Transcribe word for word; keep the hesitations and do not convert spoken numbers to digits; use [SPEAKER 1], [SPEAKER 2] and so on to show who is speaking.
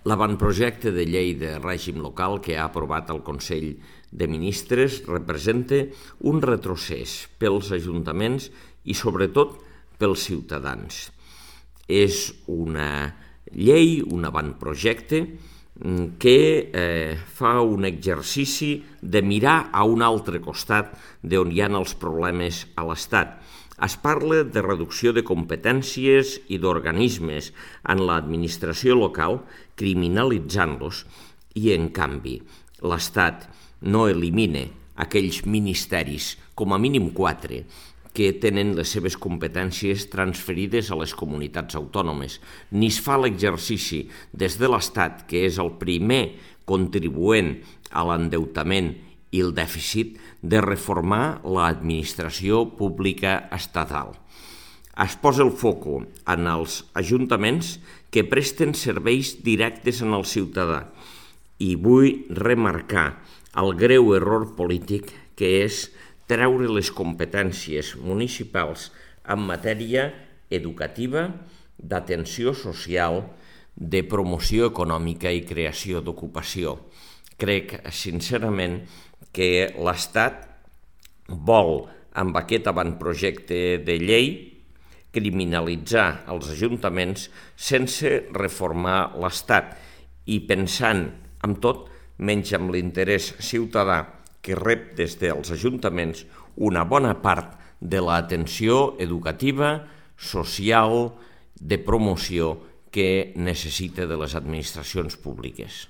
[SPEAKER 1] L'avantprojecte de llei de règim local que ha aprovat el Consell de Ministres representa un retrocés pels ajuntaments i sobretot pels ciutadans. És una llei, un avantprojecte que eh, fa un exercici de mirar a un altre costat d'on hi ha els problemes a l'Estat. Es parla de reducció de competències i d'organismes en l'administració local, criminalitzant-los, i en canvi l'Estat no elimina aquells ministeris, com a mínim quatre, que tenen les seves competències transferides a les comunitats autònomes. Ni es fa l'exercici des de l'Estat, que és el primer contribuent a l'endeutament i el dèficit, de reformar l'administració pública estatal. Es posa el foco en els ajuntaments que presten serveis directes en el ciutadà i vull remarcar el greu error polític que és treure les competències municipals en matèria educativa, d'atenció social, de promoció econòmica i creació d'ocupació. Crec, sincerament, que l'Estat vol, amb aquest avantprojecte de llei, criminalitzar els ajuntaments sense reformar l'Estat i pensant en tot menys amb l'interès ciutadà que rep des dels ajuntaments una bona part de l'atenció educativa, social, de promoció que necessita de les administracions públiques.